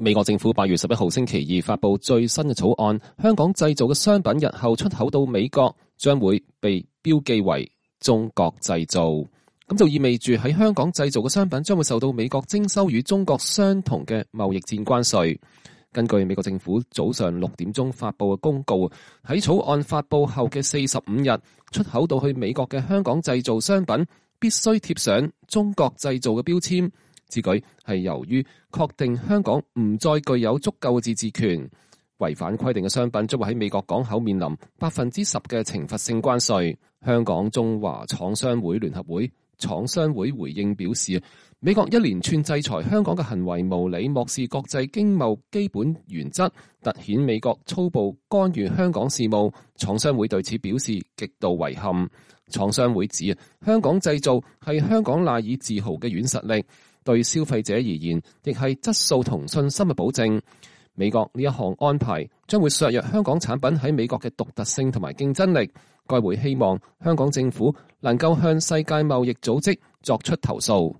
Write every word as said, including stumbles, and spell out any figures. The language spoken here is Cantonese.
美國政府八月十一號星期二發布最新嘅草案，香港製造嘅商品日後出口到美國將會被標記為中國製造，咁就意味住喺香港製造嘅商品將會受到美國徵收與中國相同嘅貿易戰關稅。根據美國政府早上六點鐘發布嘅公告，喺草案發布後嘅四十五日，出口到去美國嘅香港製造商品必須貼上中國製造嘅標籤。此舉係由於確定香港唔再具有足夠嘅自治權，違反規定嘅商品將會喺美國港口面臨百分之十嘅懲罰性關稅。香港中華廠商會聯合會廠商會回應表示，美國一連串制裁香港嘅行為無理，漠視國際經貿基本原則，凸顯美國粗暴干預香港事務。廠商會對此表示極度遺憾。廠商會指，香港製造係香港賴以自豪嘅軟實力，對消費者而言亦係質素同信心嘅保證。美國呢一項安排將會削弱香港產品喺美國嘅獨特性同埋競爭力。該會希望香港政府能夠向世界貿易組織作出投訴。